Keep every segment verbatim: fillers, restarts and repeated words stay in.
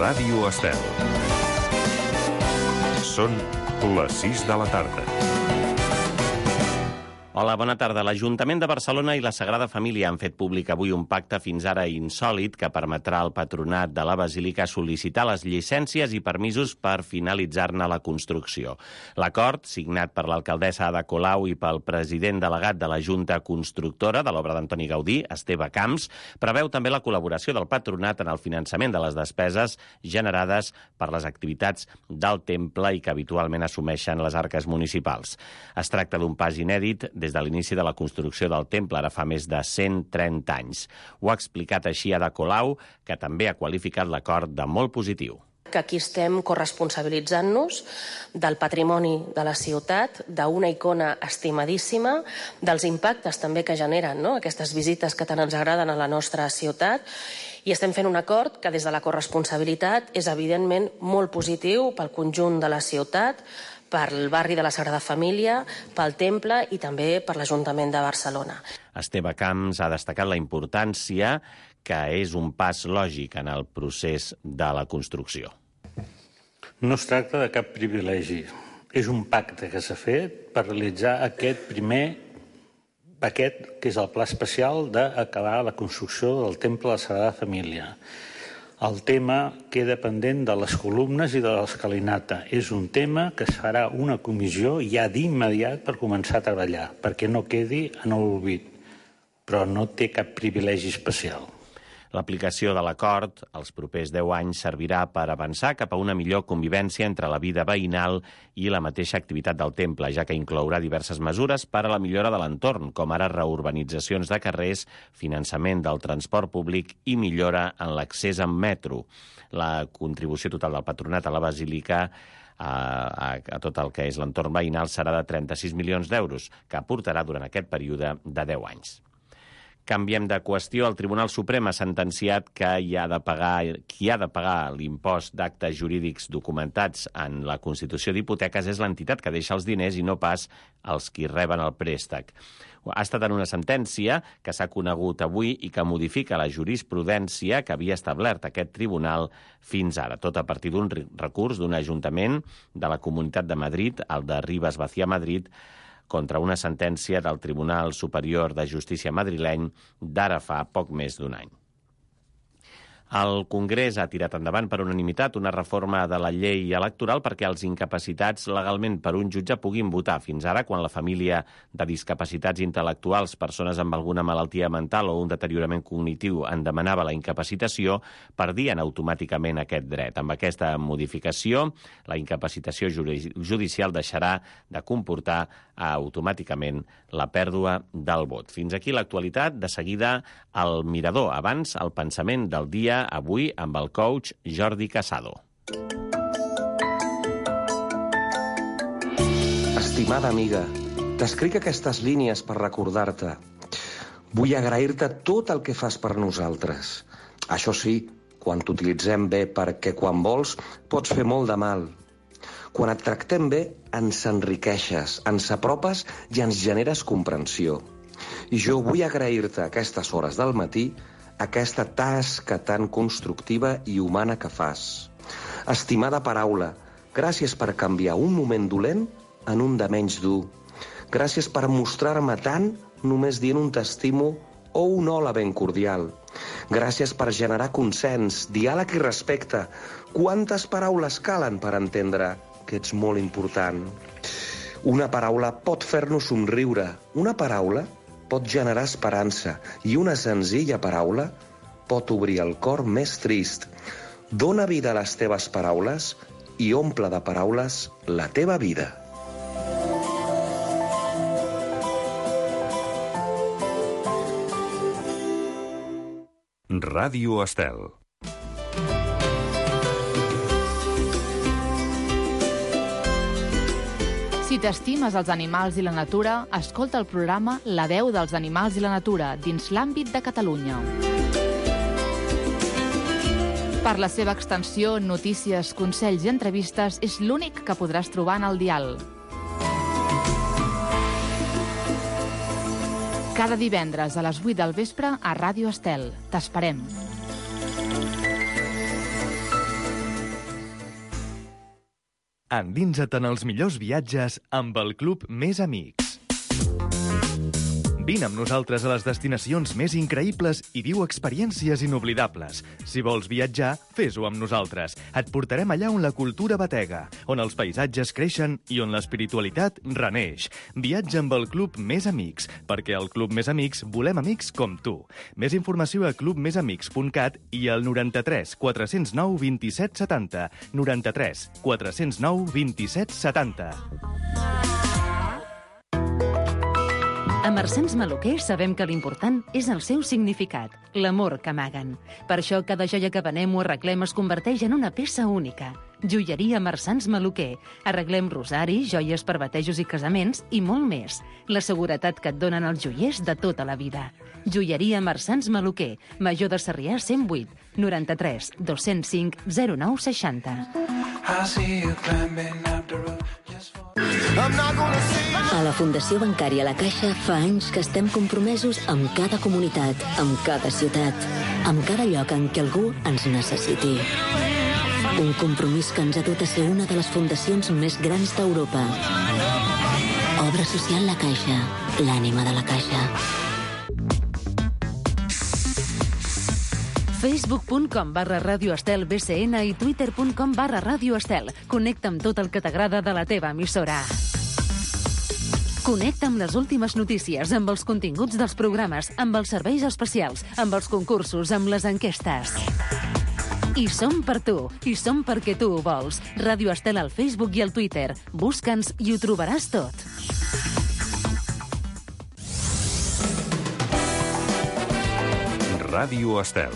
Ràdio Estel. Són les sis de la tarda. Hola, bona tarda. L'Ajuntament de Barcelona i la Sagrada Família han fet públic avui un pacte fins ara insòlit que permetrà al patronat de la Basílica sol·licitar les llicències i permisos per finalitzar-ne la construcció. L'acord, signat per l'alcaldessa Ada Colau i pel president delegat de la Junta Constructora de l'obra d'Antoni Gaudí, Esteve Camps, preveu també la col·laboració del patronat en el finançament de les despeses generades per les activitats del temple i que habitualment assumeixen les arques municipals. Es tracta d'un pas inèdit des de l'inici de la construcció del temple, ara fa més de cent trenta anys. Ho ha explicat així Ada Colau, que també ha qualificat l'acord de molt positiu. Que aquí estem corresponsabilitzant-nos del patrimoni de la ciutat, d'una icona estimadíssima, dels impactes també que generen, no?, aquestes visites que tant ens agraden a la nostra ciutat, i estem fent un acord que des de la corresponsabilitat és evidentment molt positiu pel conjunt de la ciutat, pel barri de la Sagrada Família, pel temple i també per l'Ajuntament de Barcelona. Esteve Camps ha destacat la importància que és un pas lògic en el procés de la construcció. No es tracta de cap privilegi. És un pacte que s'ha fet per realitzar aquest primer paquet, que és el pla especial d'acabar la construcció del temple de la Sagrada Família. El tema queda pendent de les columnes i de l'escalinata. És un tema que es farà una comissió ja d'immediat per començar a treballar, perquè no quedi en l'oblit, però no té cap privilegi especial. L'aplicació de l'acord els propers deu anys servirà per avançar cap a una millor convivència entre la vida veïnal i la mateixa activitat del temple, ja que inclourà diverses mesures per a la millora de l'entorn, com ara reurbanitzacions de carrers, finançament del transport públic i millora en l'accés en metro. La contribució total del patronat a la Basílica a, a, a tot el que és l'entorn veïnal serà de trenta-sis milions d'euros, que aportarà durant aquest període de deu anys. Canviem de qüestió. El Tribunal Suprem ha sentenciat que hi ha de pagar, qui ha de pagar l'impost d'actes jurídics documentats en la constitució d'hipoteques és l'entitat que deixa els diners i no pas els qui reben el préstec. Ha estat en una sentència que s'ha conegut avui i que modifica la jurisprudència que havia establert aquest tribunal fins ara, tot a partir d'un recurs d'un ajuntament de la Comunitat de Madrid, el de Ribes Vacía Madrid, contra una sentència del Tribunal Superior de Justícia madrileny d'ara fa poc més d'un any. El Congrés ha tirat endavant per unanimitat una reforma de la llei electoral perquè els incapacitats legalment per un jutge puguin votar. Fins ara, quan la família de discapacitats intel·lectuals, persones amb alguna malaltia mental o un deteriorament cognitiu en demanava la incapacitació, perdien automàticament aquest dret. Amb aquesta modificació, la incapacitació judicial deixarà de comportar automàticament la pèrdua del vot. Fins aquí l'actualitat. De seguida, el Mirador. Abans, el pensament del dia, avui amb el coach Jordi Casado. Estimada amiga, t'escric aquestes línies per recordar-te. Vull agrair-te tot el que fas per nosaltres. Això sí, quan t'utilitzem bé, perquè quan vols pots fer molt de mal. Quan et tractem bé, ens enriqueixes, ens apropes i ens generes comprensió. I jo vull agrair-te aquestes hores del matí aquesta tasca tan constructiva i humana que fas. Estimada paraula, gràcies per canviar un moment dolent en un de menys dur. Gràcies per mostrar-me tant només dient un t'estimo o un hola ben cordial. Gràcies per generar consens, diàleg i respecte. Quantes paraules calen per entendre que ets molt important? Una paraula pot fer-nos somriure. Una paraula pot generar esperança i una senzilla paraula pot obrir el cor més trist. Dóna vida a les teves paraules i omple de paraules la teva vida. Ràdio Estel. Si t'estimes els animals i la natura, escolta el programa La veu dels animals i la natura dins l'àmbit de Catalunya. Per la seva extensió, notícies, consells i entrevistes, és l'únic que podràs trobar en el dial. Cada divendres a les vuit del vespre a Ràdio Estel. T'esperem. Endinsa't en els millors viatges amb el Club Més Amics. Vine amb nosaltres a les destinacions més increïbles i viu experiències inoblidables. Si vols viatjar, fes-ho amb nosaltres. Et portarem allà on la cultura batega, on els paisatges creixen i on l'espiritualitat reneix. Viatja amb el Club Més Amics, perquè al Club Més Amics volem amics com tu. Més informació a club més amics punt cat i al noranta-tres quatre-cents nou vint-i-set setanta. noranta-tres quatre-cents nou vint-i-set setanta. A Marsans Maluquer sabem que l'important és el seu significat, l'amor que amaguen. Per això cada joia que venem o arreglem es converteix en una peça única. Joieria Marsans Maluquer. Arreglem rosaris, joies per batejos i casaments i molt més. La seguretat que et donen els joiers de tota la vida. Joieria Marsans Maluquer. Major de Sarrià cent vuit, noranta-tres dos-cents cinc zero nou seixanta. A la Fundació Bancària La Caixa fa anys que estem compromesos amb cada comunitat, amb cada ciutat, amb cada lloc en què algú ens necessiti. Un compromís que ens ha dut a ser una de les fundacions més grans d'Europa. Obra social La Caixa, l'ànima de la Caixa. facebook punt com barra Ràdio Estel B C N i twitter punt com barra Ràdio Estel. Connecta amb tot el que t'agrada de la teva emissora. Connecta amb les últimes notícies, amb els continguts dels programes, amb els serveis especials, amb els concursos, amb les enquestes. I som per tu, i som perquè tu ho vols. Ràdio Estel al Facebook i al Twitter. Busca'ns i ho trobaràs tot. Ràdio Estel.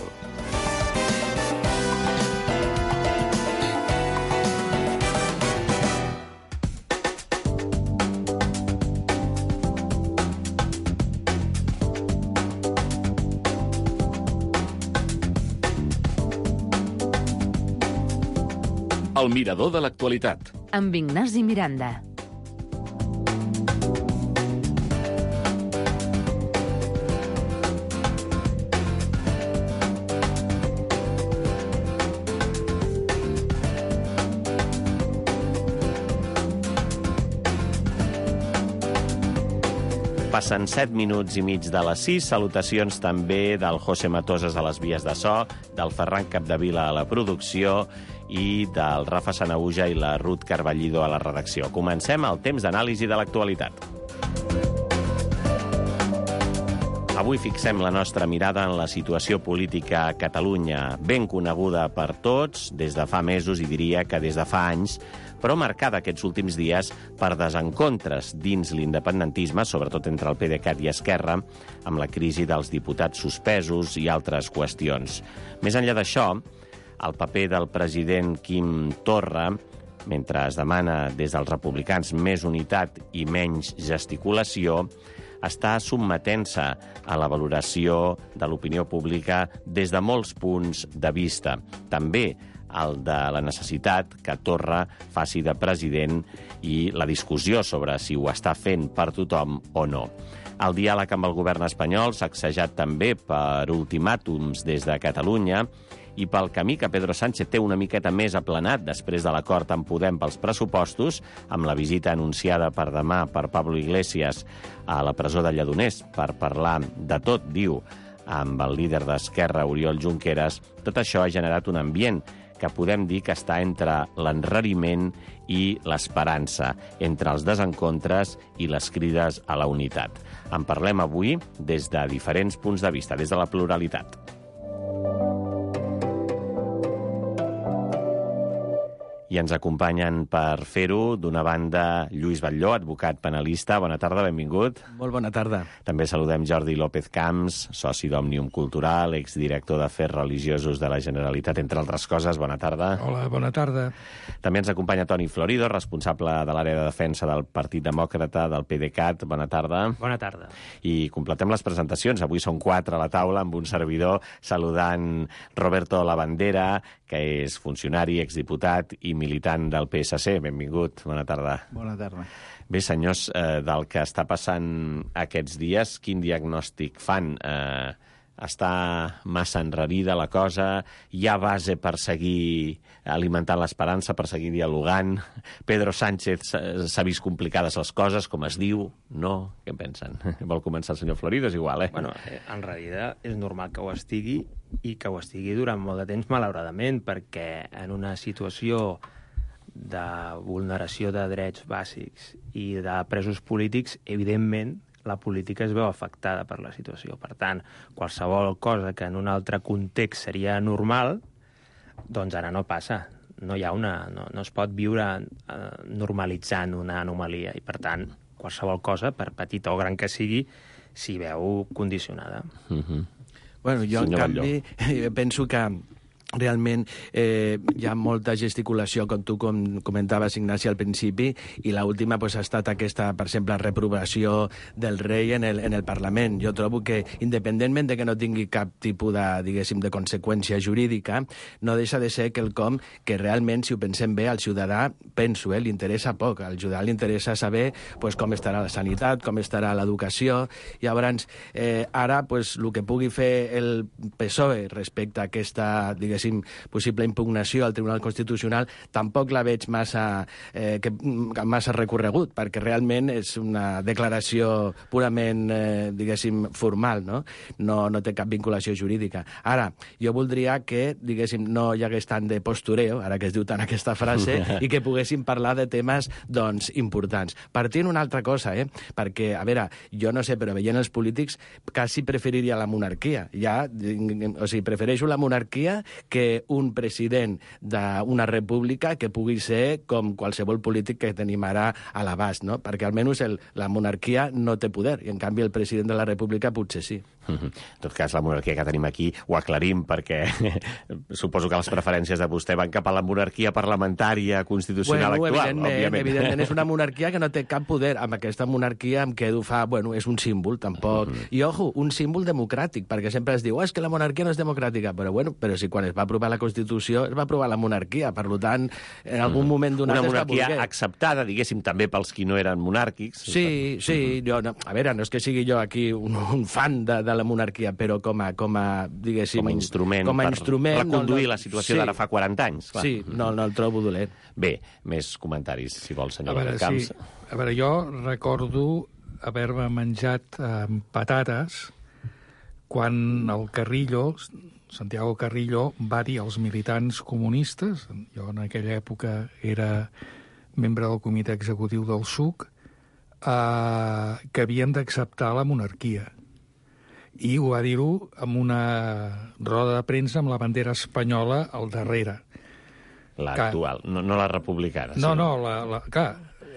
El mirador de l'actualitat. Amb Ignasi Miranda. Passen set minuts i mig de les sis. Salutacions també del José Matoses a les vies de so, del Ferran Capdevila a la producció i del Rafa Sanahuja i la Ruth Carballido a la redacció. Comencem el temps d'anàlisi de l'actualitat. Avui fixem la nostra mirada en la situació política a Catalunya, ben coneguda per tots des de fa mesos i diria que des de fa anys, però marcada aquests últims dies per desencontres dins l'independentisme, sobretot entre el PDeCAT i Esquerra, amb la crisi dels diputats suspesos i altres qüestions. Més enllà d'això, el paper del president Quim Torra, mentre es demana des dels republicans més unitat i menys gesticulació, està sotmetent-se a la valoració de l'opinió pública des de molts punts de vista. També el de la necessitat que Torra faci de president i la discussió sobre si ho està fent per tothom o no. El diàleg amb el govern espanyol, sacsejat també per ultimàtums des de Catalunya, i pel camí que Pedro Sánchez té una miqueta més aplanat després de l'acord amb Podem pels pressupostos, amb la visita anunciada per demà per Pablo Iglesias a la presó de Lledoners per parlar de tot, diu, amb el líder d'Esquerra, Oriol Junqueras, tot això ha generat un ambient que podem dir que està entre l'enrariment i l'esperança, entre els desencontres i les crides a la unitat. En parlem avui des de diferents punts de vista, des de la pluralitat. I ens acompanyen per fer-ho, d'una banda, Lluís Batlló, advocat penalista. Bona tarda, benvingut. Molt bona tarda. També saludem Jordi López Camps, soci d'Òmnium Cultural, exdirector d'Afers Religiosos de la Generalitat, entre altres coses. Bona tarda. Hola, bona tarda. També ens acompanya Toni Florido, responsable de l'àrea de defensa del Partit Demòcrata del PDeCAT. Bona tarda. Bona tarda. I completem les presentacions. Avui són quatre a la taula, amb un servidor saludant Roberto Labandera, que és funcionari, exdiputat i militant del P S C. Benvingut, bona tarda. Bona tarda. Bé, senyors, eh, del que està passant aquests dies, quin diagnòstic fan? Eh, està massa enrarida la cosa, hi ha base per seguir alimentant l'esperança, per seguir dialogant. Pedro Sánchez s'ha vist complicades les coses, com es diu, no? Què en pensen? Vol començar el senyor Florido? És igual, eh? Bueno, enrarida és normal que ho estigui i que ho estigui durant molt de temps, malauradament, perquè en una situació de vulneració de drets bàsics i de presos polítics, evidentment, la política es veu afectada per la situació. Per tant, qualsevol cosa que en un altre context seria normal, doncs ara no passa. No hi ha una, no, no es pot viure eh, normalitzant una anomalia i, per tant, qualsevol cosa, per petita o gran que sigui, s'hi veu condicionada. Mm-hmm. Bueno, jo, Senyor en canvi, penso que realment eh, hi ha molta gesticulació, com tu com comentaves, Ignasi, al principi, i l'última pues, ha estat aquesta, per exemple, reprovació del rei en el, en el Parlament. Jo trobo que, independentment de que no tingui cap tipus de, diguéssim, de conseqüència jurídica, no deixa de ser quelcom que realment, si ho pensem bé, al ciutadà, penso, eh, li interessa poc. Al ciutadà li interessa saber pues, com estarà la sanitat, com estarà l'educació. Llavors, eh, ara, pues, el que pugui fer el P S O E respecte a aquesta, diguéssim, possible impugnació al Tribunal Constitucional, tampoc la veig massa, eh, que, massa recorregut, perquè realment és una declaració purament, eh, diguéssim, formal, no? No, no té cap vinculació jurídica. Ara, jo voldria que, diguéssim, no hi hagués tant de postureo, ara que es diu tant aquesta frase, i que poguéssim parlar de temes, doncs, importants. Partint una altra cosa, eh? Perquè, a veure, jo no sé, però veient els polítics, quasi preferiria la monarquia. Ja, o sigui, prefereixo la monarquia que un president d'una república que pugui ser com qualsevol polític que tenim ara a l'abast, no? Perquè almenys el, la monarquia no té poder, i en canvi el president de la república potser sí. En tot cas, la monarquia que tenim aquí ho aclarim, perquè suposo que les preferències de vostè van cap a la monarquia parlamentària constitucional bueno, actual, evidentment, òbviament. Evidentment, és una monarquia que no té cap poder. Amb aquesta monarquia em quedo fa... Bueno, és un símbol, tampoc... Mm-hmm. I, ojo, un símbol democràtic, perquè sempre es diu, oh, és que la monarquia no és democràtica, però bueno, però si quan es va aprovar la Constitució es va aprovar la monarquia, per tant, en algun mm-hmm. moment donat... Una monarquia acceptada, diguéssim, també pels qui no eren monàrquics. Sí, sí, mm-hmm. jo, no, a veure, no és que sigui jo aquí un, un fan de, de la monarquia, però com a, com a diguéssim... Com a instrument, com a instrument per reconduir no, no, la situació sí, d'ara fa quaranta anys. Clar. Sí, no, no el trobo dolent. Bé, més comentaris, si vol, senyor Camps. Sí. A veure, jo recordo haver-me menjat amb patates quan el Carrillo, Santiago Carrillo, va dir als militants comunistes, jo en aquella època era membre del comitè executiu del S U C, eh, que havien d'acceptar la monarquia. I ho va dir-ho amb una roda de premsa amb la bandera espanyola al darrere. L'actual, no, no la republicana. No, sí. no, la, la, clar,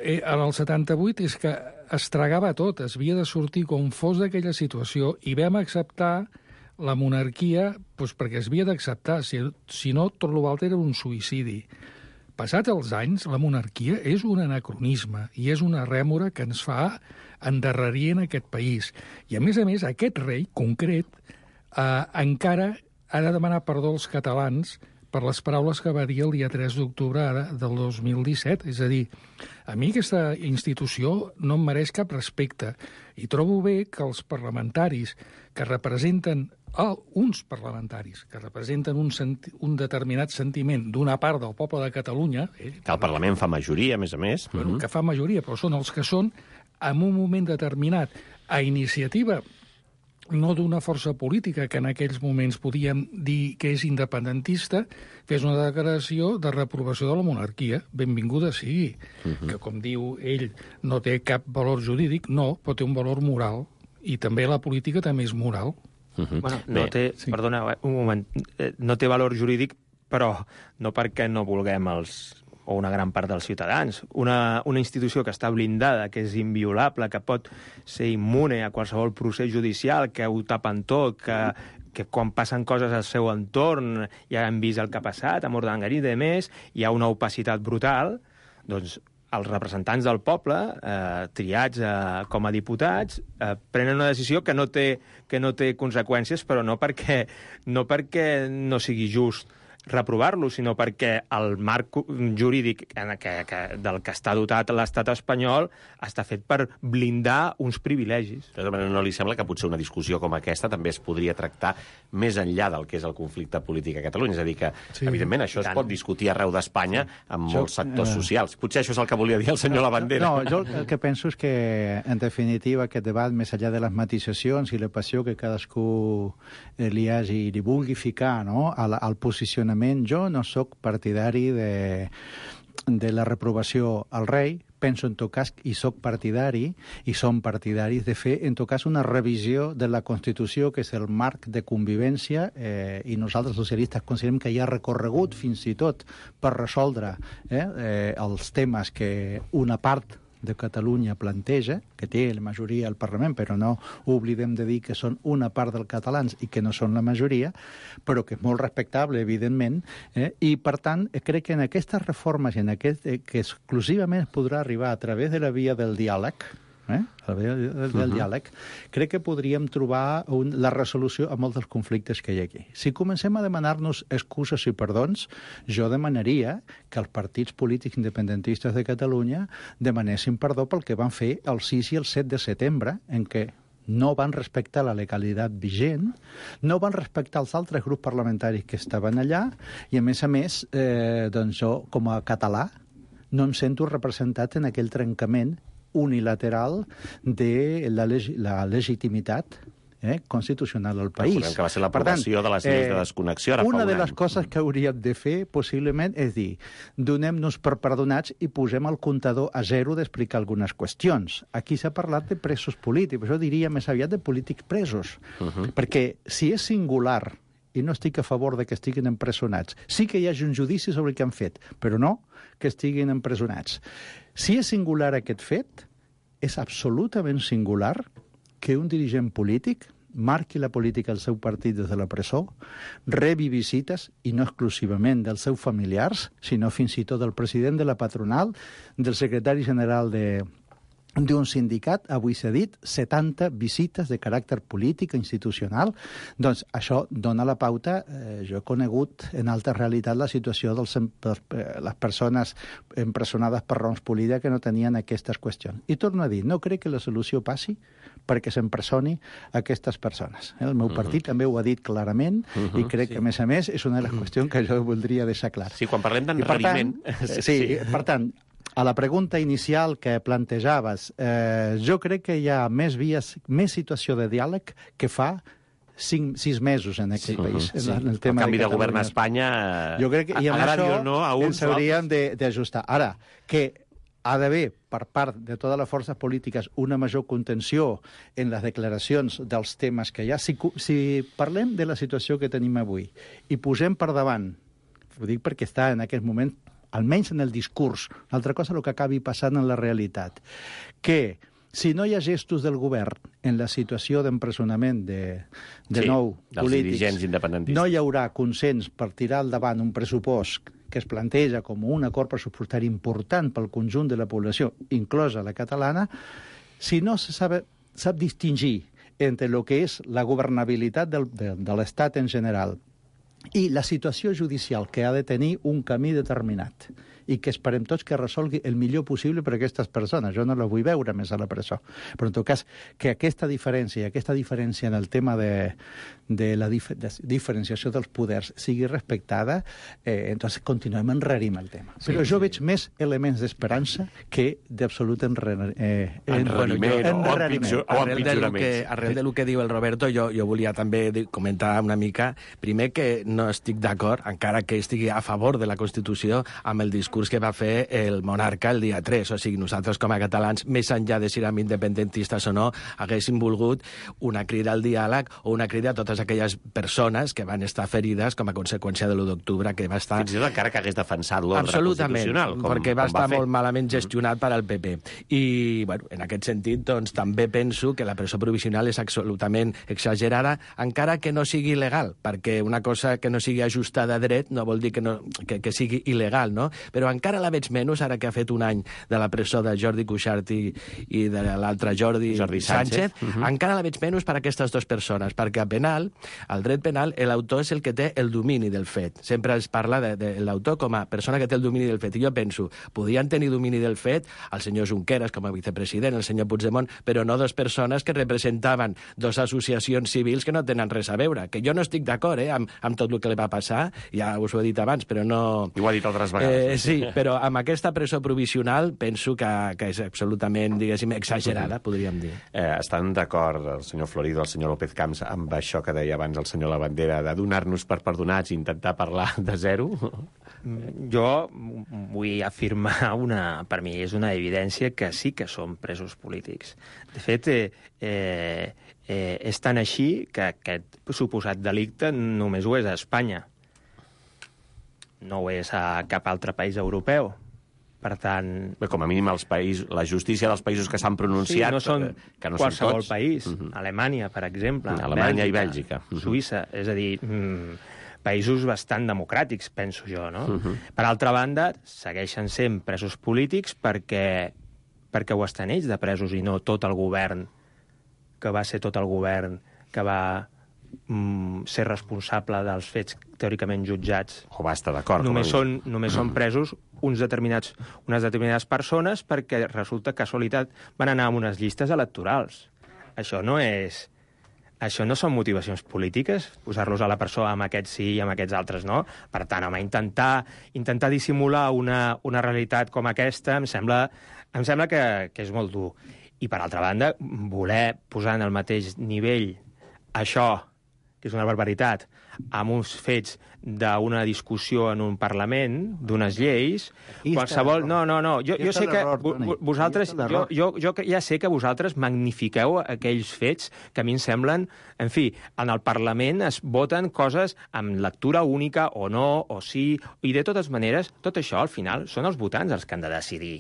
en el setanta-vuit és que es tragava tot, es havia de sortir com fos d'aquella situació, i vam acceptar la monarquia doncs, perquè es havia d'acceptar, si, si no, tot l'altre era un suïcidi. Passats els anys, la monarquia és un anacronisme i és una rèmora que ens fa endarrerir en aquest país. I, a més a més, aquest rei concret eh, encara ha de demanar perdó als catalans per les paraules que va dir el dia tres d'octubre del dos mil disset. És a dir, a mi aquesta institució no em mereix cap respecte i trobo bé que els parlamentaris que representen, ah, uns parlamentaris que representen un, senti, un determinat sentiment d'una part del poble de Catalunya... Eh, que el Parlament fa majoria, a més a més. Bueno, mm-hmm. que fa majoria, però són els que són, en un moment determinat, a iniciativa no d'una força política que en aquells moments podíem dir que és independentista, fes una declaració de reprovació de la monarquia. Benvinguda sigui. Uh-huh. Que, com diu ell, no té cap valor jurídic, no, però té un valor moral. I també la política també és moral. Uh-huh. Bueno, no Bé, té, sí. perdona, un moment, no té valor jurídic, però no perquè no vulguem els o una gran part dels ciutadans. Una, una institució que està blindada, que és inviolable, que pot ser immune a qualsevol procés judicial, que ho tapen tot, que, que quan passen coses al seu entorn, ja hem vist el que ha passat, a Mordangarí i demés, hi ha una opacitat brutal, doncs els representants del poble, eh, triats eh, com a diputats, eh, prenen una decisió que no té, que no té conseqüències, però no perquè no, perquè no sigui just reprovar-lo, sinó perquè el marc jurídic en que, que, del que està dotat l'estat espanyol està fet per blindar uns privilegis. De tota manera, no li sembla que potser una discussió com aquesta també es podria tractar més enllà del que és el conflicte polític a Catalunya? És a dir, que, sí, evidentment, això es pot discutir arreu d'Espanya amb molts jo, sectors uh... socials. Potser això és el que volia dir el senyor Lavandera. No, jo el que penso és que, en definitiva, aquest debat, més enllà de les matisacions i la passió que cadascú li hagi i li vulgui ficar, no?, al, al posicionament, jo no sóc partidari de, de la reprovació al rei. Penso, en tot cas, i sóc partidari, i som partidaris de fer, en tot cas, una revisió de la Constitució, que és el marc de convivència, eh, i nosaltres, socialistes, considerem que hi ha recorregut, fins i tot, per resoldre eh, eh, els temes que una part de Catalunya planteja, que té la majoria al Parlament, però no oblidem de dir que són una part dels catalans i que no són la majoria, però que és molt respectable, evidentment, eh? I, per tant, crec que en aquestes reformes, en aquest, eh, que exclusivament es podrà arribar a través de la via del diàleg, eh? a la via del, del uh-huh. diàleg, crec que podríem trobar un, la resolució a molts dels conflictes que hi ha aquí. Si comencem a demanar-nos excuses i perdons, jo demanaria que els partits polítics independentistes de Catalunya demanessin perdó pel que van fer el sis i el set de setembre, en què no van respectar la legalitat vigent, no van respectar els altres grups parlamentaris que estaven allà, i a més a més, eh, doncs jo, com a català, no em sento representat en aquell trencament unilateral de la, leg la legitimitat eh, constitucional al país. Recordem que va ser l'aprovació de les lleis eh, de desconnexió. Ara una un de les any. coses que hauríem de fer, possiblement, és dir, donem-nos per perdonats i posem el comptador a zero d'explicar algunes qüestions. Aquí s'ha parlat de presos polítics, jo diria més aviat de polítics presos, uh-huh. perquè si és singular, i no estic a favor de que estiguin empresonats, sí que hi hagi un judici sobre el que han fet, però no que estiguin empresonats. Si és singular aquest fet, és absolutament singular que un dirigent polític marqui la política del seu partit des de la presó, rebi visites, i no exclusivament dels seus familiars, sinó fins i tot del president de la patronal, del secretari general de d'un sindicat, avui s'ha dit, setanta visites de caràcter polític, institucional. Doncs això dona la pauta. Eh, jo he conegut en alta realitat la situació de les persones empresonades per raons polítiques que no tenien aquestes qüestions. I torno a dir, no crec que la solució passi perquè s'empresoni aquestes persones. El meu partit uh-huh. també ho ha dit clarament uh-huh. i crec sí. que, a més a més, és una de les qüestions que jo voldria deixar clar. Sí, quan parlem d'enrariment... Eh, sí, sí, per tant, a la pregunta inicial que plantejaves, eh, jo crec que hi ha més vies, més situació de diàleg que fa cinc, sis mesos en aquest sí, país. Sí. En el, tema el canvi de, de govern a Espanya, jo crec que, i amb això no, a uns ens hauríem d'ajustar. Ara, que ha d'haver, per part de totes les forces polítiques, una major contenció en les declaracions dels temes que hi ha. Si, si parlem de la situació que tenim avui i posem per davant, ho dic perquè està en aquest moment almenys en el discurs, una altra cosa el que acabi passant en la realitat, que si no hi ha gestos del govern en la situació d'empresonament de, de sí, nou polítics, no hi haurà consens per tirar endavant un pressupost que es planteja com un acord pressupostari important pel conjunt de la població, inclosa la catalana, si no se sap, sap distingir entre el que és la governabilitat del, de, de l'Estat en general i la situació judicial, que ha de tenir un camí determinat i que esperem tots que resolgui el millor possible per a aquestes persones. Jo no la vull veure més a la presó. Però, en tot cas, que aquesta diferència, aquesta diferència en el tema de, de la dif de diferenciació dels poders sigui respectada, eh, entonces continuem enrarim el tema. Sí, Però jo sí. veig més elements d'esperança que d'absolut enrariment. Eh, enrariment en, o empitjorament. Arrel del que, arrel del que diu el Roberto, jo, jo volia també comentar una mica, primer que no estic d'acord, encara que estigui a favor de la Constitució, amb el discurs que va fer el monarca el dia tres. O sigui, nosaltres com a catalans, més enllà de si érem independentistes o no, haguéssim volgut una crida al diàleg o una crida a totes aquelles persones que van estar ferides com a conseqüència de l'u d'octubre, que va estar... Fins i tot encara que hagués defensat l'ordre constitucional. Com, perquè va com estar va molt malament gestionat per al P P. I, bueno, en aquest sentit, doncs, també penso que la presó provisional és absolutament exagerada, encara que no sigui il·legal, perquè una cosa que no sigui ajustada a dret no vol dir que, no, que, que sigui il·legal, no? Però però encara la veig menys, ara que ha fet un any de la presó de Jordi Cuixart i, i de l'altre Jordi, Jordi Sánchez, Sánchez. Uh-huh. encara la veig menys per a aquestes dues persones, perquè a penal, al dret penal, l'autor és el que té el domini del fet. Sempre es parla de, de l'autor com a persona que té el domini del fet. I jo penso, podien tenir domini del fet el senyor Junqueras com a vicepresident, el senyor Puigdemont, però no dues persones que representaven dues associacions civils que no tenen res a veure. Que jo no estic d'acord eh, amb, amb tot el que li va passar, ja us ho he dit abans, però no... I ho ha dit altres vegades. Eh, sí, però amb aquesta presó provisional penso que, que és absolutament, diguéssim, exagerada, uh-huh. podríem dir. Eh, estan d'acord el senyor Florido, el senyor López Camps, amb això que deia abans el senyor Labandera, de donar-nos per perdonats i intentar parlar de zero? Jo vull afirmar una... Per mi és una evidència que sí que som presos polítics. De fet, eh, eh, eh, és tan així que aquest suposat delicte només ho és a Espanya. No ho és a cap altre país europeu. Per tant... Bé, com a mínim els països, la justícia dels països que s'han pronunciat... Sí, no són que no qualsevol són tots. país. Uh-huh. Alemanya, per exemple. Alemanya Bèlgica, i Bèlgica. Uh-huh. Suïssa. És a dir, mm, països bastant democràtics, penso jo, no? Uh-huh. Per altra banda, segueixen sent presos polítics perquè, perquè ho estan ells de presos i no tot el govern, que va ser tot el govern que va mm, ser responsable dels fets teòricament jutjats. O va estar d'acord. Només, són, només són presos uns determinats, unes determinades persones perquè resulta casualitat van anar a unes llistes electorals. Això no és... Això no són motivacions polítiques, posar-los a la presó amb aquests sí i amb aquests altres no. Per tant, home, intentar, intentar dissimular una, una realitat com aquesta em sembla, em sembla que, que és molt dur. I, per altra banda, voler posar en el mateix nivell això, que és una barbaritat, amb uns fets d'una discussió en un Parlament, d'unes lleis, qualsevol... No, no, no, jo, jo sé que vosaltres... Jo, jo, jo ja sé que vosaltres magnifiqueu aquells fets que a mi em semblen... En fi, en el Parlament es voten coses amb lectura única o no, o sí, i de totes maneres, tot això, al final, són els votants els que han de decidir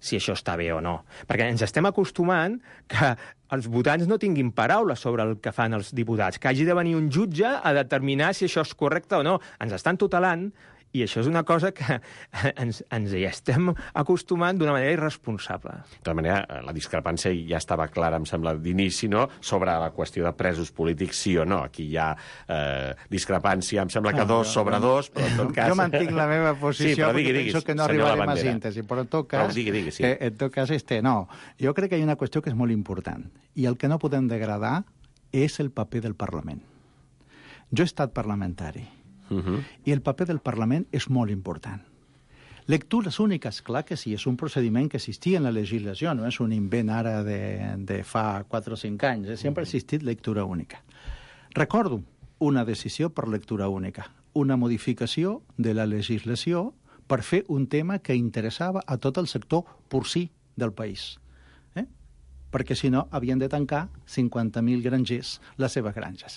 si això està bé o no. Perquè ens estem acostumant que els votants no tinguin paraula sobre el que fan els diputats, que hagi de venir un jutge a determinar si això és correcte o no. Ens estan tutelant i això és una cosa que ens, ens hi estem acostumant d'una manera irresponsable. De tota manera, la discrepància ja estava clara, em sembla, d'inici, no?, sobre la qüestió de presos polítics, sí o no. Aquí hi ha eh, discrepància, em sembla que no, dos jo, sobre jo, dos, però en tot cas... Jo mantinc la meva posició, sí, però digui, perquè diguis, penso que no arribarem a síntesi, però en tot cas, però digui, digui, sí. eh, en tot cas este, no. Jo crec que hi ha una qüestió que és molt important, i el que no podem degradar és el paper del Parlament. Jo he estat parlamentari, Uh-huh. i el paper del Parlament és molt important. Lectures úniques, clar que sí, és un procediment que existia en la legislació, no és un invent ara de, de fa quatre o cinc anys, eh? Sempre ha existit lectura única. Recordo una decisió per lectura única, una modificació de la legislació per fer un tema que interessava a tot el sector porcí del país. Eh? Perquè si no havien de tancar cinquanta mil grangers les seves granges.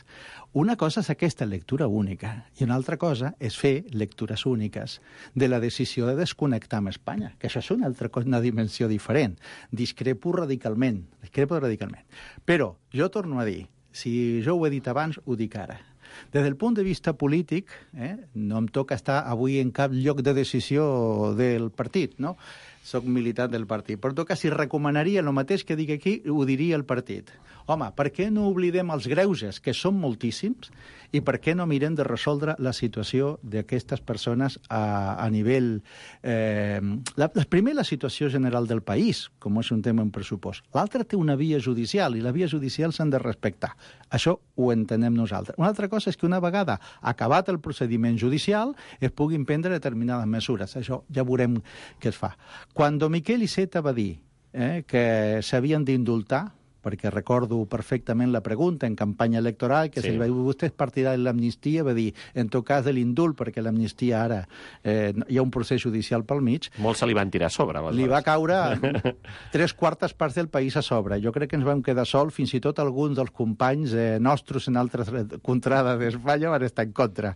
Una cosa és aquesta lectura única i una altra cosa és fer lectures úniques de la decisió de desconnectar amb Espanya, que això és una altra cosa, una dimensió diferent. Discrepo radicalment, discrepo radicalment. Però jo torno a dir, si jo ho he dit abans, ho dic ara. Des del punt de vista polític, eh, no em toca estar avui en cap lloc de decisió del partit, no? Soc militant del partit. Per tot cas, si recomanaria el mateix que dic aquí, ho diria el partit. Home, per què no oblidem els greuges, que són moltíssims, i per què no mirem de resoldre la situació d'aquestes persones a, a nivell... Eh, la, la, primer, la situació general del país, com és un tema en pressupost. L'altra té una via judicial, i la via judicial s'han de respectar. Això ho entenem nosaltres. Una altra cosa és que una vegada acabat el procediment judicial es puguin prendre determinades mesures. Això ja veurem què es fa. Quan Miquel Iceta va dir eh, que s'havien d'indultar, perquè recordo perfectament la pregunta en campanya electoral, que sí. Si vostè és partidari de l'amnistia, va dir, en tot cas de l'indult, perquè l'amnistia ara eh, hi ha un procés judicial pel mig. Molts se li van tirar a sobre. Li va caure tres quartes parts del país a sobre. Jo crec que ens vam quedar sol, fins i tot alguns dels companys eh, nostres en altres contrades d'Espanya van estar en contra.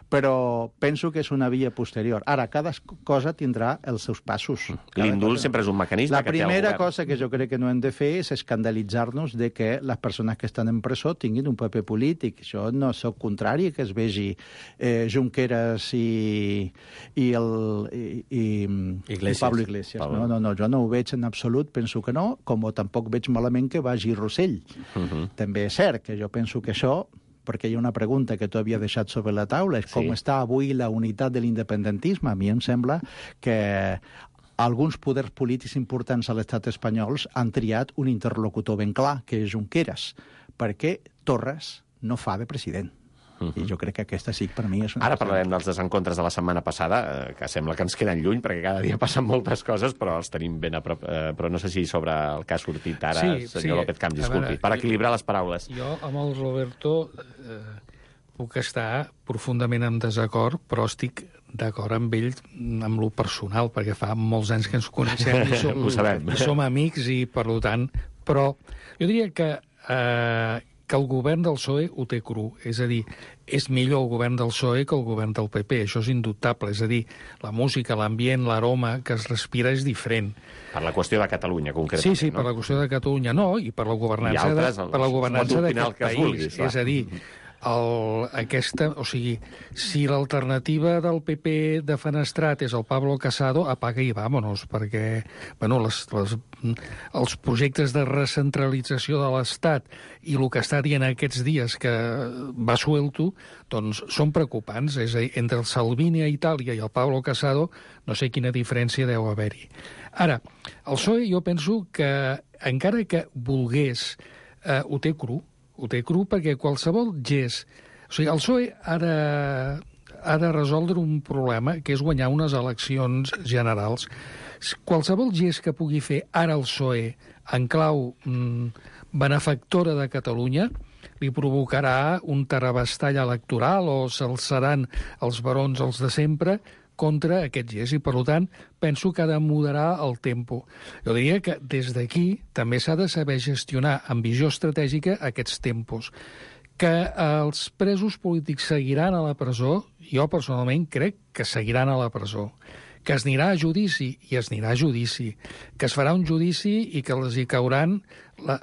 Però penso que és una via posterior. Ara, cada cosa tindrà els seus passos. L'indult sempre és un mecanisme la que té el govern. La primera cosa que jo crec que no hem de fer és escandalitzar responsabilitzar-nos de que les persones que estan en presó tinguin un paper polític. Jo no sóc contrari que es vegi eh, Junqueras i, i, el, i, i, i Pablo Iglesias. Pablo. No, no, no, jo no ho veig en absolut, penso que no, com tampoc veig malament que vagi Rossell. Uh-huh. També és cert que jo penso que això, perquè hi ha una pregunta que tu havia deixat sobre la taula, és sí. com està avui la unitat de l'independentisme. A mi em sembla que alguns poders polítics importants a l'estat espanyol han triat un interlocutor ben clar, que és Junqueras, perquè Torres no fa de president. Uh-huh. I jo crec que aquesta sí, per mi és una... Ara parlarem dels desencontres de la setmana passada, eh, que sembla que ens queden lluny, perquè cada dia passen moltes coses, però els tenim ben a prop. Eh, però no sé si sobre el que ha sortit ara, sí, senyor sí. López Camps, disculpi, veure, per equilibrar les paraules. Jo, amb el Roberto, eh, puc estar profundament en desacord, però estic d'acord amb ell, amb lo personal, perquè fa molts anys que ens coneixem i som, i som amics, i per tant... Però jo diria que, eh, que el govern del P S O E ho té cru. És a dir, és millor el govern del P S O E que el govern del P P. Això és indubtable. És a dir, la música, l'ambient, l'aroma que es respira és diferent. Per la qüestió de Catalunya, concretament. Sí, sí, no? Per la qüestió de Catalunya no, i per la governança, altres, de, per la governança d'aquest país. Vulguis, és a dir, el, aquesta, o sigui, si l'alternativa del P P de Fenestrat és el Pablo Casado, apaga i vámonos, perquè bueno, les, les, els projectes de recentralització de l'Estat i el que està dient aquests dies que va suelto, doncs són preocupants. És a dir, entre el Salvini a Itàlia i el Pablo Casado no sé quina diferència deu haver-hi. Ara, el P S O E jo penso que encara que volgués, eh, ho té cru, ho té cru perquè qualsevol gest... O sigui, el P S O E ha de, ha de resoldre un problema, que és guanyar unes eleccions generals. Qualsevol gest que pugui fer ara el P S O E en clau mm, benefactora de Catalunya li provocarà un terabastall electoral o s'alçaran els barons, els de sempre, contra aquest gest, i per tant penso que ha de moderar el tempo. Jo diria que des d'aquí també s'ha de saber gestionar amb visió estratègica aquests tempos. Que els presos polítics seguiran a la presó, jo personalment crec que seguiran a la presó. Que es anirà a judici, i es anirà a judici. Que es farà un judici i que els hi cauran... La...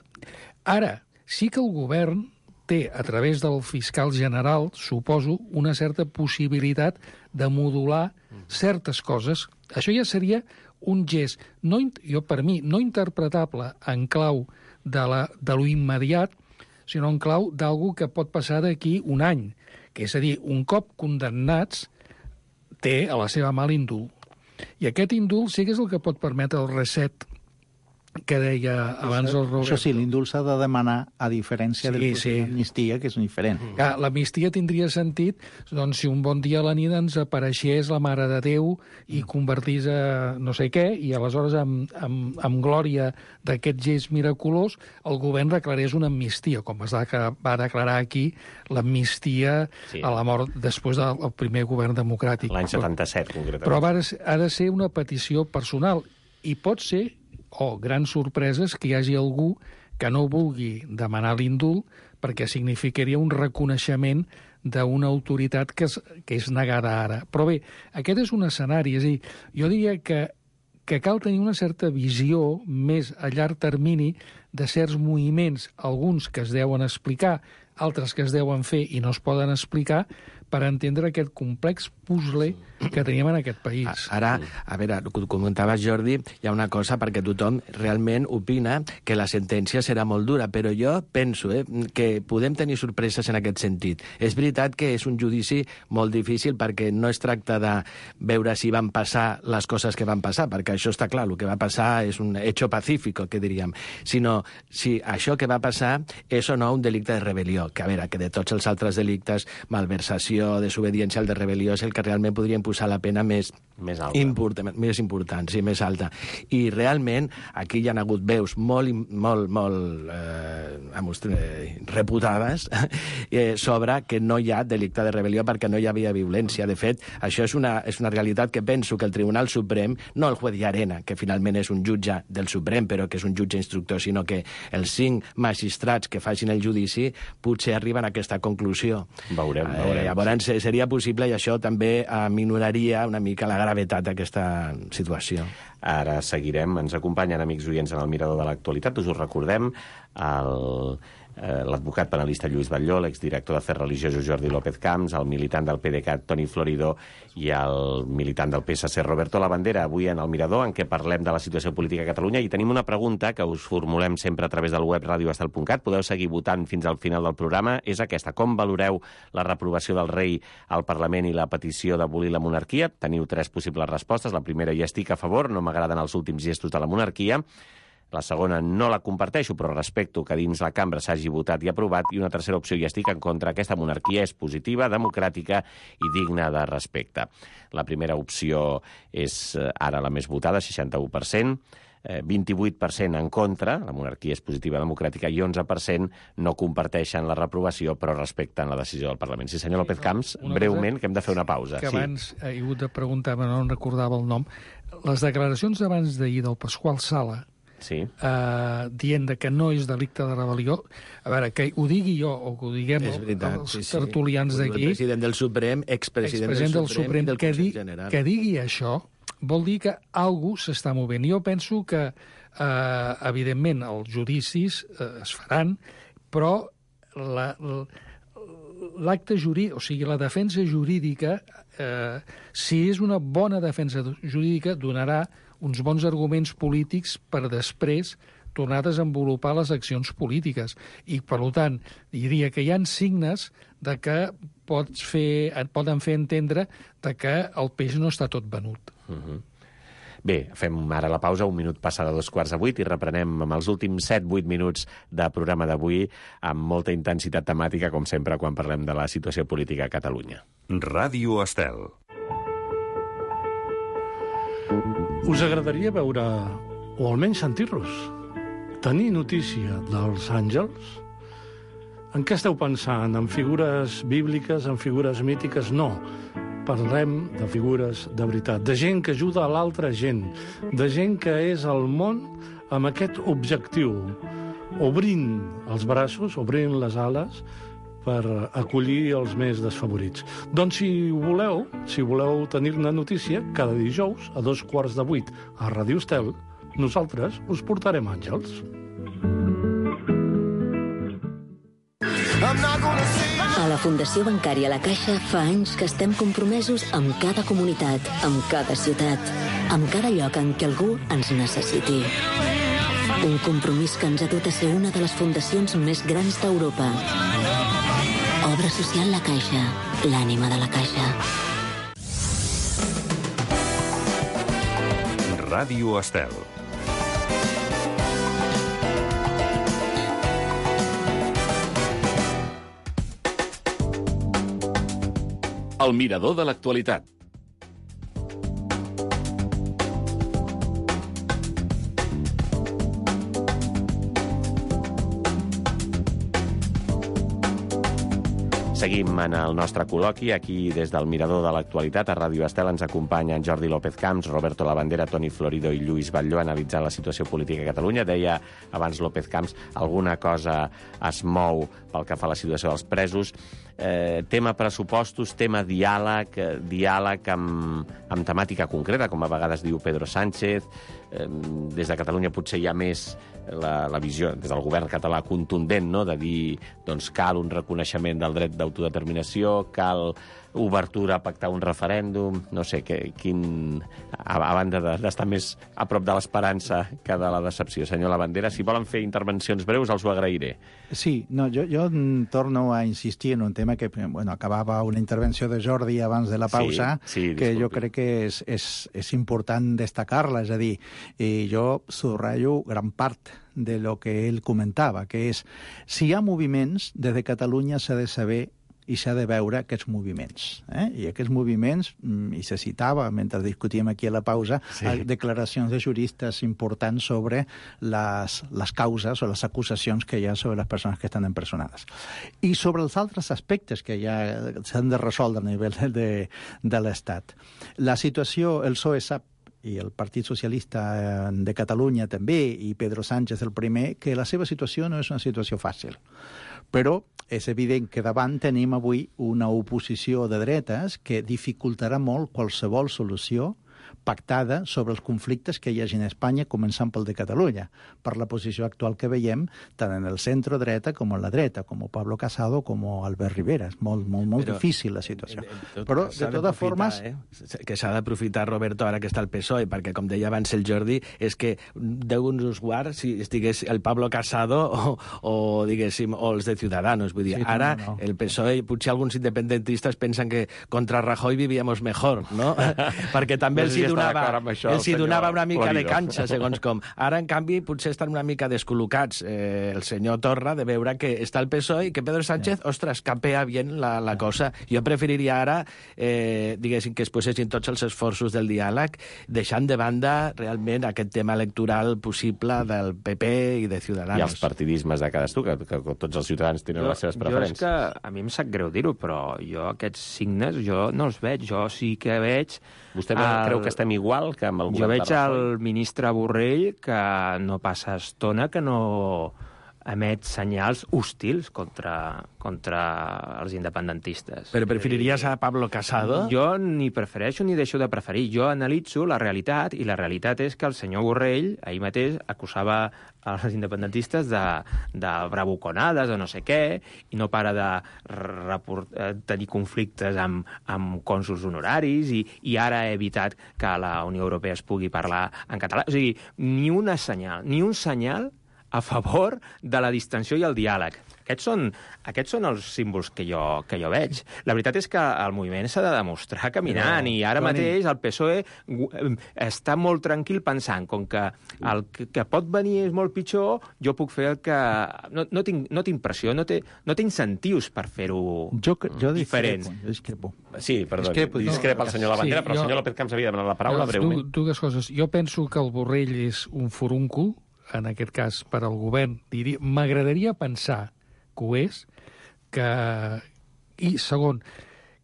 Ara, sí que el govern té, a través del fiscal general, suposo, una certa possibilitat de modular certes coses. Això ja seria un gest, no, jo per mi, no interpretable en clau de, la, de lo immediat, sinó en clau d'algú que pot passar d'aquí un any. Que és a dir, un cop condemnats, té a la seva mà l'indult. I aquest indult sí que és el que pot permetre el reset que deia abans el Roberto. Això sí, l'indult s'ha de demanar a diferència sí, del procés sí. d'amnistia, que és diferent. Ja, l'amnistia tindria sentit doncs, si un bon dia a la nit ens apareixés la Mare de Déu i convertís a no sé què, i aleshores amb, amb, amb glòria d'aquest gest miraculós el govern declarés una amnistia, com es va declarar aquí l'amnistia sí. a la mort després del primer govern democràtic. L'any setanta-set, concretament. Però ha de ser una petició personal, i pot ser o oh, grans sorpreses que hi hagi algú que no vulgui demanar l'indult perquè significaria un reconeixement d'una autoritat que és, que és negada ara. Però bé, aquest és un escenari, és a dir, jo diria que, que cal tenir una certa visió més a llarg termini de certs moviments, alguns que es deuen explicar, altres que es deuen fer i no es poden explicar, per entendre aquest complex puzzle que teníem en aquest país. Ara, a veure, com comentaves, Jordi, hi ha una cosa perquè tothom realment opina que la sentència serà molt dura, però jo penso eh, que podem tenir sorpreses en aquest sentit. És veritat que és un judici molt difícil perquè no es tracta de veure si van passar les coses que van passar, perquè això està clar, el que va passar és un hecho pacífico, que diríem, sinó si això que va passar és o no un delicte de rebel·lió, que a veure, que de tots els altres delictes, malversació, desobediència, el de rebel·lió és el que realment podrien posar la pena més, més, alta. Important, més important, sí, més alta. I realment aquí hi ha hagut veus molt, molt, molt eh, reputades eh, sobre que no hi ha delicte de rebel·lió perquè no hi havia violència. De fet, això és una, és una realitat que penso que el Tribunal Suprem, no el juez Llarena, que finalment és un jutge del Suprem, però que és un jutge instructor, sinó que els cinc magistrats que facin el judici potser arriben a aquesta conclusió. Veurem, veurem. Eh, llavors seria possible, i això també aminoraria una mica la gravetat aquesta situació. Ara seguirem. Ens acompanyen amics oients en el Mirador de l'Actualitat. Us ho recordem, el... l'advocat penalista Lluís Batlló, l'exdirector d'Afers Religiosos Jordi López Camps, el militant del PDeCAT Toni Florido i el militant del P S C Roberto Labandera, avui en el Mirador, en què parlem de la situació política a Catalunya. I tenim una pregunta que us formulem sempre a través del web radio estel punt cat. Podeu seguir votant fins al final del programa. És aquesta: com valoreu la reprovació del rei al Parlament i la petició d'abolir la monarquia? Teniu tres possibles respostes. La primera: hi estic a favor, no m'agraden els últims gestos de la monarquia. La segona: no la comparteixo, però respecto que dins la cambra s'hagi votat i aprovat. I una tercera opció: hi estic en contra. Aquesta monarquia és positiva, democràtica i digna de respecte. La primera opció és ara la més votada, seixanta-u per cent. vint-i-vuit per cent en contra, la monarquia és positiva, democràtica, i onze per cent no comparteixen la reprovació, però respecten la decisió del Parlament. Sí, senyor López Camps, breument, que hem de fer una pausa. Que abans he hagut de preguntar, però no en recordava el nom. Les declaracions d'abans d'ahir del Pasqual Sala, sí. uh, dient que no és delicte de rebel·lió, a veure, que ho digui jo o que ho diguem veritat, els sí, sí. tertulians d'aquí, el president del Suprem, expresident, expresident del, del Suprem, del que, di, General. que digui això vol dir que algú s'està movent. Jo penso que, eh, evidentment, els judicis eh, es faran, però la, l'acte jurídic, o sigui, la defensa jurídica, eh, si és una bona defensa jurídica, donarà uns bons arguments polítics per després tornar a desenvolupar les accions polítiques. I, per tant, diria que hi ha signes de que pots fer, et poden fer entendre de que el peix no està tot venut. Uh-huh. Bé, fem ara la pausa, un minut passa de dos quarts de vuit i reprenem amb els últims set vuit minuts de programa d'avui amb molta intensitat temàtica, com sempre, quan parlem de la situació política a Catalunya. Ràdio Estel. Us agradaria veure, o almenys sentir-los, tenir notícia dels àngels? En què esteu pensant? En figures bíbliques, en figures mítiques? No. Parlem de figures de veritat, de gent que ajuda a l'altra gent, de gent que és al món amb aquest objectiu, obrint els braços, obrint les ales, per acollir els més desfavorits. Doncs si voleu, si voleu tenir-ne notícia, cada dijous a dos quarts de vuit a Ràdio Estel, nosaltres us portarem àngels. A la Fundació Bancària La Caixa fa anys que estem compromesos amb cada comunitat, amb cada ciutat, amb cada lloc en què algú ens necessiti. Un compromís que ens ha dut a ser una de les fundacions més grans d'Europa. Obra social La Caixa, l'ànima de la Caixa. Ràdio Estel. El mirador de l'actualitat. Seguim en el nostre col·loqui. Aquí, des del Mirador de l'Actualitat, a Ràdio Estel, ens acompanyen Jordi López Camps, Roberto Labandera, Toni Florido i Lluís Batlló analitzant la situació política a Catalunya. Deia abans López Camps, alguna cosa es mou pel que fa a la situació dels presos. Eh, tema pressupostos, tema diàleg, eh, diàleg amb, amb temàtica concreta, com a vegades diu Pedro Sánchez. Eh, des de Catalunya potser hi ha més la, la visió, des del govern català, contundent, no?, de dir, doncs, cal un reconeixement del dret d'autodeterminació, cal obertura a pactar un referèndum, no sé, que, quin... A, a banda d'estar de, més a prop de l'esperança que de la decepció. Senyor Labandera, si volen fer intervencions breus, els ho agrairé. Sí, no, jo, jo torno a insistir en un tema que, bueno, acabava una intervenció de Jordi abans de la pausa, sí, sí, que jo crec que és, és, és important destacar-la, és a dir, i jo subratllo gran part de lo que ell comentava, que és, si hi ha moviments, des de Catalunya s'ha de saber i s'ha de veure aquests moviments. Eh? I aquests moviments, i se citava, mentre discutíem aquí a la pausa, sí, declaracions de juristes importants sobre les, les causes o les acusacions que hi ha sobre les persones que estan empresonades. I sobre els altres aspectes que ja s'han de resoldre a nivell de, de l'Estat. La situació, el P S O E sap, i el Partit Socialista de Catalunya també, i Pedro Sánchez el primer, que la seva situació no és una situació fàcil. Però és evident que davant tenim avui una oposició de dretes que dificultarà molt qualsevol solució pactada sobre els conflictes que hi hagi en Espanya, començant pel de Catalunya, per la posició actual que veiem tant en el centre-dreta com en la dreta, com Pablo Casado com Albert Rivera. És molt, molt, molt Però, difícil la situació. Tot, Però, de totes formes... Eh? Que s'ha d'aprofitar, Roberto, ara que està el P S O E, perquè, com deia abans el Jordi, és que Déu nos guard si estigués el Pablo Casado o, o diguéssim, o els de Ciudadanos. Vull dir, sí, ara no, no. el P S O E, potser alguns independentistes pensen que contra Rajoy vivíamos mejor, no? Perquè també no els hi donava, això, els hi donava una mica Florido. de canxa, segons com. Ara, en canvi, potser estan una mica descol·locats eh, el senyor Torra de veure que està el P S O E i que Pedro Sánchez, yeah. ostres, capea bien la, la yeah. cosa. Jo preferiria ara, eh, diguéssim, que es posessin tots els esforços del diàleg, deixant de banda realment aquest tema electoral possible del P P i de Ciudadanos. I els partidismes de cadascú, que, que, que tots els ciutadans tenen jo, les seves preferències. Jo és que, a mi em sap greu dir-ho, però jo aquests signes jo no els veig. Jo sí que veig... Vostè el... creu que estem igual que amb el govern Jo veig de Rajoy? el ministre Borrell que no passa estona que no emet senyals hostils contra, contra els independentistes. Però preferiries a Pablo Casado? Jo ni prefereixo ni deixo de preferir. Jo analitzo la realitat, i la realitat és que el senyor Borrell ahir mateix acusava els independentistes de, de bravuconades o no sé què, i no para de report, tenir conflictes amb, amb cònsols honoraris, i, i ara ha evitat que a la Unió Europea es pugui parlar en català. O sigui, ni una senyal, ni un senyal a favor de la distensió i el diàleg. Aquests són, aquests són els símbols que jo, que jo veig. La veritat és que el moviment s'ha de demostrar caminant, no, i ara Toni... mateix el P S O E està molt tranquil pensant, com que el que, que pot venir és molt pitjor, jo puc fer el que... No, no, tinc, no tinc pressió, no té, no té incentius per fer-ho jo, jo diferent. Jo discrepo. Sí, perdó, discrepo, discrepa el senyor Labandera, sí, però jo, el senyor López Camps havia demanat la paraula no, breument. Dues coses. Jo penso que el Borrell és un furúncul, en aquest cas per al govern. M'agradaria pensar que ho és, que... I segon,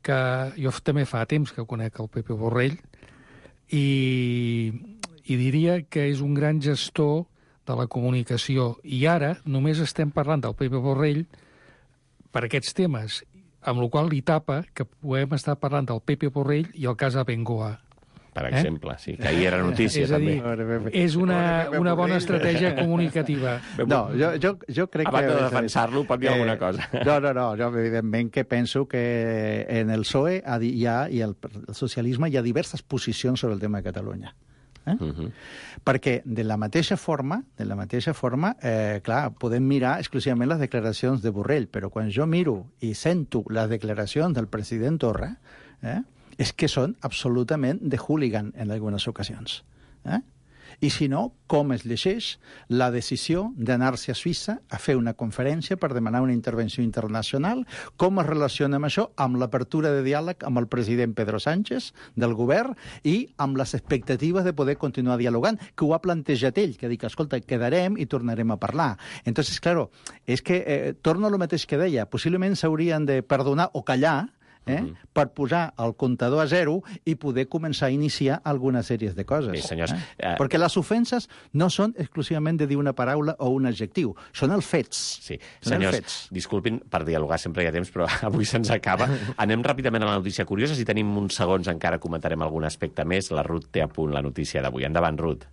que jo també fa temps que conec el Pepe Borrell, i, i diria que és un gran gestor de la comunicació. I ara només estem parlant del Pepe Borrell per aquests temes, amb la qual li tapa que podem estar parlant del Pepe Borrell i el cas Abengoa. Per exemple, eh? Sí, que ahir era notícia, és a dir, també. És una, una bona estratègia comunicativa. No, jo, jo, jo crec Abans que... Abans de defensar-lo, pot dir eh, alguna cosa. No, no, no, jo evidentment que penso que en el P S O E hi ha, i el, el socialisme hi ha diverses posicions sobre el tema de Catalunya. Eh? Uh -huh. Perquè de la mateixa forma, de la mateixa forma, eh, clar, podem mirar exclusivament les declaracions de Borrell, però quan jo miro i sento les declaracions del president Torra, eh, és que són absolutament de hooligan en algunes ocasions. Eh? I si no, com es llegeix la decisió d'anar-se a Suïssa a fer una conferència per demanar una intervenció internacional, com es relaciona amb això, amb l'apertura de diàleg amb el president Pedro Sánchez del govern i amb les expectatives de poder continuar dialogant, que ho ha plantejat ell, que dic, escolta, quedarem i tornarem a parlar. Entonces, claro, és que, eh, torno a lo mateix que deia, possiblement s'haurien de perdonar o callar, Eh? Uh -huh. per posar el comptador a zero i poder començar a iniciar algunes sèries de coses. Bé, senyors, eh? eh... Perquè les ofenses no són exclusivament de dir una paraula o un adjectiu, són els fets. Sí, són senyors, fets. disculpin, per dialogar sempre hi ha temps, però avui se'ns acaba. Anem ràpidament a la notícia curiosa, si tenim uns segons encara comentarem algun aspecte més. La Ruth té a punt la notícia d'avui. Endavant, Ruth.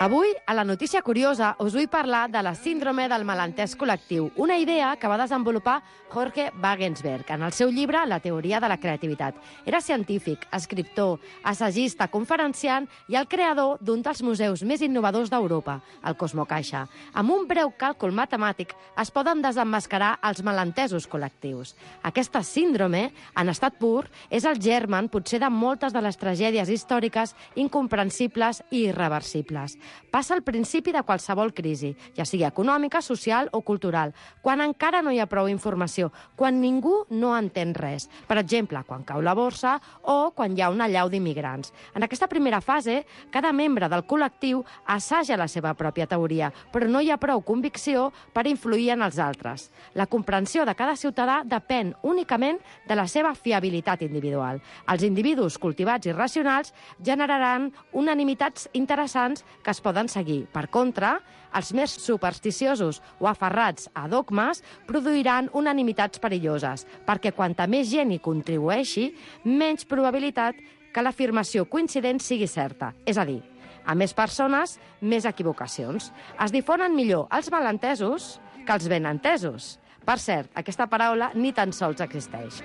Avui, a la notícia curiosa, us vull parlar de la síndrome del malentès col·lectiu, una idea que va desenvolupar Jorge Wagensberg en el seu llibre La teoria de la creativitat. Era científic, escriptor, assagista, conferenciant i el creador d'un dels museus més innovadors d'Europa, el Cosmocaixa. Amb un breu càlcul matemàtic es poden desemmascarar els malentesos col·lectius. Aquesta síndrome, en estat pur, és el germen potser de moltes de les tragèdies històriques incomprensibles i irreversibles. Passa al principi de qualsevol crisi, ja sigui econòmica, social o cultural, quan encara no hi ha prou informació, quan ningú no entén res. Per exemple, quan cau la borsa o quan hi ha una allau d'immigrants. En aquesta primera fase, cada membre del col·lectiu assaja la seva pròpia teoria, però no hi ha prou convicció per influir en els altres. La comprensió de cada ciutadà depèn únicament de la seva fiabilitat individual. Els individus cultivats i racionals generaran unanimitats interessants que es es poden seguir. Per contra, els més supersticiosos o aferrats a dogmes produiran unanimitats perilloses, perquè quanta més gent hi contribueixi, menys probabilitat que l'afirmació coincident sigui certa. És a dir, a més persones, més equivocacions. Es difonen millor els malentesos que els ben entesos. Per cert, aquesta paraula ni tan sols existeix.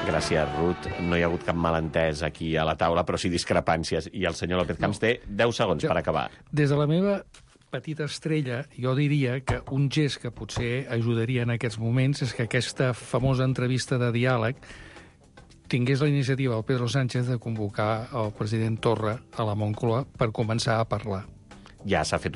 Gràcies, Ruth. No hi ha hagut cap malentès aquí a la taula, però sí discrepàncies. I el senyor López Camps té deu segons per acabar. Des de la meva petita estrella, jo diria que un gest que potser ajudaria en aquests moments és que aquesta famosa entrevista de diàleg tingués la iniciativa del Pedro Sánchez de convocar el president Torra a la Moncloa per començar a parlar. Ja s'ha fet una